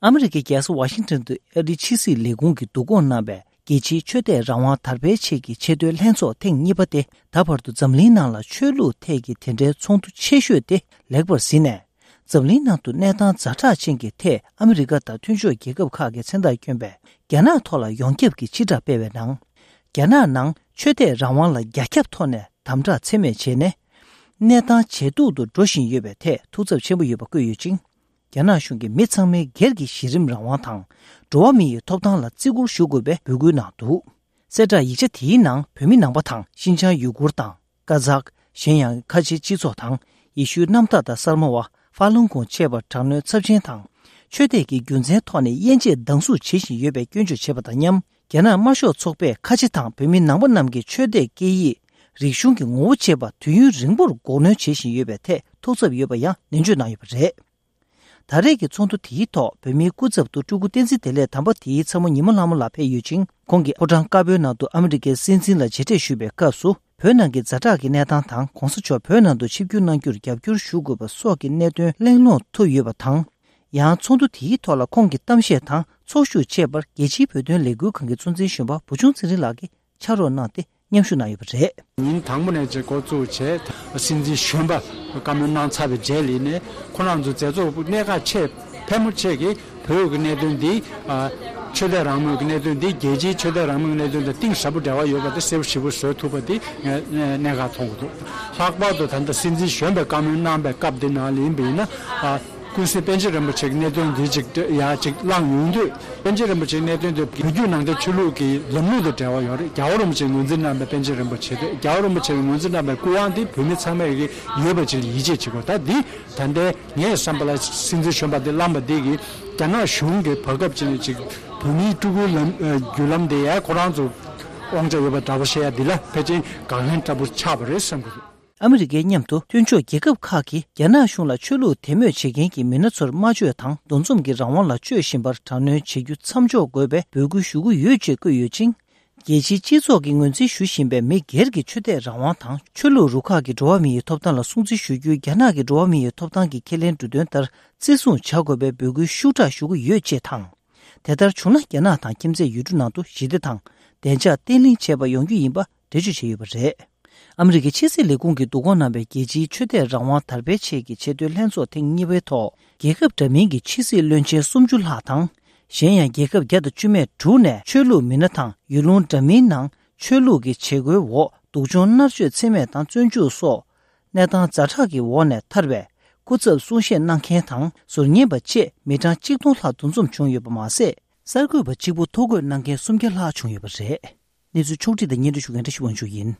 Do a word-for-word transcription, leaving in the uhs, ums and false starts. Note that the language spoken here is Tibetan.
ཨ་མི་རི་ཀའི་རྒྱལ་ས་ཝ་ཤིང་ཏོན་དུ་ཨ་རིའི་ཕྱི་སྲིད་ལས་ཁུངས་ཀྱིས་བསྡུ་སྐོང་གནང་བའི་རྒྱལ་སྤྱིའི་ཆོས་དད་རང་དབང་དར་སྤེལ་ཆེད་ཀྱི་ཆེས་མཐོའི་ལྷན་ཚོགས་ཐེངས་གཉིས་པ་དེ། ད་བར་དུ་འཛམ་གླིང་ནང་ལ་ཆོས་ལུགས་ཐད་ཀྱི་དེ་འདྲའི་ཚོགས་འདུ་ཆེ་ཤོས་དེ་ལེགས་པར་ཟིན་ནས། འཛམ་གླིང་ནང་དུ་གནས་སྟངས་ཛ་དྲག་ཅན་གྱི་ཐད་ཨ་མི་རི་ཀ་དང་མཐུན་ཕྱོགས་རྒྱལ་ཁབ་ཁག་གི་མཚན་རྟགས་བསྐྱོན་པའི་རྒྱ་ནག་ཐོག་ལ་ཡོངས་ཁྱབ་ཀྱི་ཕྱིར་བསྒྲགས་སྤེལ་བའི་ནང་། རྒྱ་ནག་ནང་ཆོས་དད་རང་དབང་ལ་རྒྱ་ཁྱབ་ཐོག་ནས་དམ་དྲག་ཚད་མེད་བྱས་ནས། གནས་སྟངས་ཇེ་སྡུག་ཏུ་འགྲོ་བཞིན་ཡོད་པའི་ཐད་ཐུགས་འཚབ་ཆེན་པོ་ཡོད་པ་བཀོད་ཡོད་ཅིང་། རྒྱ་ནག་གཞུང་གིས་མི་ཚང་མའི་སྒེར་གྱི་གཞི་རིམ་རང་དབང་དང་། འགྲོ་བ་མི་ཡི་ཐོབ་ཐང་ལ་བརྩི་བཀུར་ཞུ་དགོས་པའི་འབོད་སྐུལ་གནང་འདུག། གསལ་བསྒྲགས་ཡིག་ཆ་དེའི་ནང་བོད་མི་ནང་པ་དང་ཤིན་ཅང་ཡུ་གུར་དང་། ཀ་ཛག། གཞན་ཡང་ཁ་ཆེའི་སྤྱི་ཚོགས་དང་། ཡེ་ཤུའི་གནམ་བདག་དང་གསར་མ་བ་ཧྥ་ལུང་ཁུང་བཅས་པར་དྲག་གནོན་ཚབས་ཆེན་དང་། ཆོས་དད་ཀྱི་རྒྱུ་མཚན་ཐོག་ནས་དབྱེ་འབྱེད་སྡང་ཟུག་བྱེད་བཞིན་ཡོད་པའི་སྐྱོན་བརྗོད་བྱས་པ་དང་མཉམ། རྒྱ་ནག་དམར་ཤོག་ཚོགས་པས་ཁ་ཆེ་དང་བོད་མི་ནང་པ་རྣམས་ཀྱི་ཆོས་དད་སྐད་ཡིག་རིག་གཞུང་གི་ངོ་བོ་བཅས་པ་དུས་ཡུན་རིང་པོར་འགོག་གནོན་བྱེད་བཞིན་ཡོད་པའི་ཐད་ཐུགས་འཚབ་ཡོད་པ་ཡང་ནན་བརྗོད་གནང་ཡོད་པ་རེད། ད་རེས་ཀྱི་ཚོགས་འདུ་དེའི་ཐོག་བོད་མིའི་སྐུ་ཚབ་ཏུ་སྤྲུལ་སྐུ་བསྟན་འཛིན་བདེ་ལེགས་དམ་པ་དེའི་ཚ་མོ་ཉི་མ་ལྷ་མོ་ལགས་ཕེབས་ཡོད་ཅིང་། ཁོང་གིས་ཕོ་བྲང་དཀར་པོའི་ནང་དུ་ཨ་མི་རི་ཀའི་སྲིད་འཛིན་ལ་མཇལ་འཕྲད་ཞུས་པའི་སྐབས་སུ། བོད་ནང་གི་ཛ་དྲག་གི་གནས་སྟངས་དང་། ྋགོང་ས་མཆོག་བོད་ནང་དུ་ཆིབས་བསྒྱུར་གནང་རྒྱུར་རྒྱབ་སྐྱོར་ཞུ་དགོས་པ་སོགས་ཀྱི་གནད་དོན་གླེང་སློང་ཐུབ་ཡོད་པ་དང་། ཡང་ཚོགས་འདུ་དེའི་ཐོག་ལ་ཁོང་གི་གཏམ་བཤད་དང་ཚོགས་ཞུགས་བཅས་པར་རྒྱལ་སྤྱིའི་བོད་དོན་ལས་འགུལ་ཁང་གི་གཙོ་འཛིན་གཞོན་པ་བུ་ཆུང་ཚེ་རིང་ལགས་ཀྱིས་ཕྱག་རོགས་གནང་སྟེ། མཉམ་ཞུགས་གནང་ཡོད་པ་རེད། ཉིན་དང་པོ་ནས་ཅིག་འགོ་བཙུགས་བྱས། སྲིད་འཛིན་གཞོན་པ་བཀའ་མོལ་གནང་ཚར་བའི་རྗེས་ལ་ནས་ཁོ་རང་ཚོ་མཛད་གཙོ་གནད་འགག་ཆེ་ཕལ་མོ་ཆེ་གིས་བོད་ཀྱི་གནད་དོན་འདི། ཨ། ཆོས་དད་རང་མོས་ཀྱི་གནད་དོན་འདི་རྒྱལ་སྤྱིའི་ཆོས་དད་རང་མོས་ཀྱི་གནད་དོན་དང་གཏིང་ཟབ་པོ་འབྲེལ་བ་ཡོད་པ་དེ་གསལ་པོ་ཞེ་པོ་བཟོ་ཐུབ་པ་དེ་ངས་གནད་འགག་མཐོང་གི་འདུག། ལྷག་པར་དུ་ད་ལྟ་སྲིད་འཛིན་གཞོན་པའི་བཀའ་མོལ་གནང་བའི་སྐབས་འདི་ནང་ལ་ཡིན་པ་ཡིན་ན། ཨ། ཀུན་གཟིགས་པཎ་ཆེན་རིན་པོ་ཆེ་གི་གནད་དོན་འདི་ཅིག་ཡ་ཅིག་བླངས་ཡོང་དུས། པཎ་ཆེན་རིན་པོ་ཆེའི་གནད་དོན་དེ་བོད་བརྒྱུད་ནང་བསྟན་ཆོས་ལུགས་ཀྱི་ལམ་ལུགས་དང་འབྲེལ་བ་ཡོད་རེད། རྒྱལ་བ་རིན་པོ་ཆེས་ངོས་འཛིན་གནང་བའི་པཎ་ཆེན་རིན་པོ་ཆེ་རེད། རྒྱལ་བ་རིན་པོ་ཆེས་ངོས་འཛིན་གནང་བའི་སྐུ་དབང་དེ་བོད་མི་ཚང་མས་ཀྱི་ཡོད་པ་ཅིག་ལ་ཡིད་ཆེས་བྱེད་དགོས། ད་འདི་ད་ལྟའི་ངའི་བསམ་པ་ལ་སྲིད་འཛིན་གཞོན་པ་འདི་བླངས་པ་འདི་གིས་རྒྱ་ནག་གཞུང་གི་བར་སྐབས་ཅིག་ནས་ཅིག་བོད་མིའི་སྤྲུལ་སྐུའི་ལམ། ཨ། བརྒྱུད་ལམ་དེ་ཡང་ཁོ་རང་ཚོ་དབང་ཆ་ཡོད་པ་འདྲ་པོ་བཤད་ཡ་འདི་ལ་ཕལ་ཆེར་དགག་ལན་འདྲ་པོ་ཆགས་པ་རེད་བསམ་གྱི་འདུག། ཨ་མི་རི་ཀའི་མཉམ་དུ་མཐུན་ཕྱོགས་རྒྱལ་ཁབ་ཁག་གིས་རྒྱ་ནག་གཞུང་ལ་ཆོས་ལུགས་དད་མོས་བྱེད་མཁན་གྱི་མི་སྣ་ཚོར་སྨྲ་བརྗོད་དང་འདུ་འཛོམས་ཀྱི་རང་དབང་ལ་སྤྱོད་བཞིན་པར་དྲག་གནོན་བྱེད་རྒྱུ་མཚམས་འཇོག་དགོས་པའི་འབོད་སྐུལ་ཞུ་གི་ཡོད་ཅེས་བཀོད་ཡོད་ཅིང་། རྒྱལ་སྤྱིའི་སྤྱི་ཚོགས་ཀྱིས་ངོས་འཛིན་ཞུ་བཞིན་པའི་མི་སྒེར་གྱི་ཆོས་དད་རང་དབང་དང་ཆོས་ལུགས་རུ་ཁག་གི་འགྲོ་བ་མི་ཡི་ཐོབ་ཐང་ལ་སྲུང་བརྩི་ཞུ་རྒྱུའི་རྒྱ་ནག་གི་འགྲོ་བ་མི་ཡི་ཐོབ་ཐང་གི་ཁས་ལེན་འབྲུ་དོན་ལྟར་བརྩི་སྲུང་བྱ་དགོས་པའི་འབོད་སྐུལ་ཤུགས་དྲག་ཞུ་གི་ཡོད་ཅེས་དང་། དེ་ལྟར་བྱུང་ན་རྒྱ་ནག་དང་ཁྱིམ་མཚེས་ཡུལ་གྲུ་ནང་དུ་ཞི་བདེ་དང་བདེ་འཇགས་བརྟན་ལྷིང་བཅས་པ་ཡོང་རྒྱུ་ཡིན་པ། འགྲེལ་བརྗོད་བྱས་ཡོད་པ་རེད། ཨ་མི་རི་ཀའི་ཕྱི་སྲིད་ལས་ཁུངས་ཀྱིས་བསྡུ་སྐོང་གནང་བའི་རྒྱལ་སྤྱིའི་ཆོས་དད་རང་དབང་དར་སྤེལ་ཆེད་ཀྱི་ཆེས་མཐོའི་ལྷན་ཚོགས་ཐེངས་གཉིས་པའི་ཐོག་རྒྱལ་ཁབ་འདྲ་མིན་གྱི་ཕྱི་སྲིད་བློན་ཆེན་སུམ་ཅུ་ལྷག་དང་། གཞན་ཡང་རྒྱལ་ཁབ་བརྒྱ་དང་བཅུ་མེད་དྲུག་ནས་ཆོས་ལུགས་མི་སྣ་དང་ཡུལ་ལུང་འདྲ་མིན་ནང་ཆོས་ལུགས་ཀྱི་བྱེད་སྒོའི་འོག་སྡུག་སྦྱོང་མནར་གཅོད་ཚད་མེད་དང་བཙོན་འཇུག་སོགས་གནས་སྟངས་ཛ་དྲག་གི་འོག་ནས་ཐར་བའི་སྐུ་ཚབ་གསུང་བཤད་གནང་མཁན་དང་ཟུར་ཉན་པ་བཅས་མི་གྲངས་གཅིག་སྟོང་ལྷག་འདུ་འཛོམས་བྱུང་ཡོད་པ་མ་ཟད། གསར་འགོད་པ་གཅིག་པུ་ཐོ་འགོད་གནང་མཁན་སུམ་བརྒྱ་ལྷག་བྱུང་ཡོད་པ་རེད། གནས་ཚུལ་ཕྱོགས་བསྒྲིགས་དང་སྙན་སྒྲོན་ཞུ་མཁན་བཀྲ་ཤིས་དབང་ཕྱུག་ཡིན།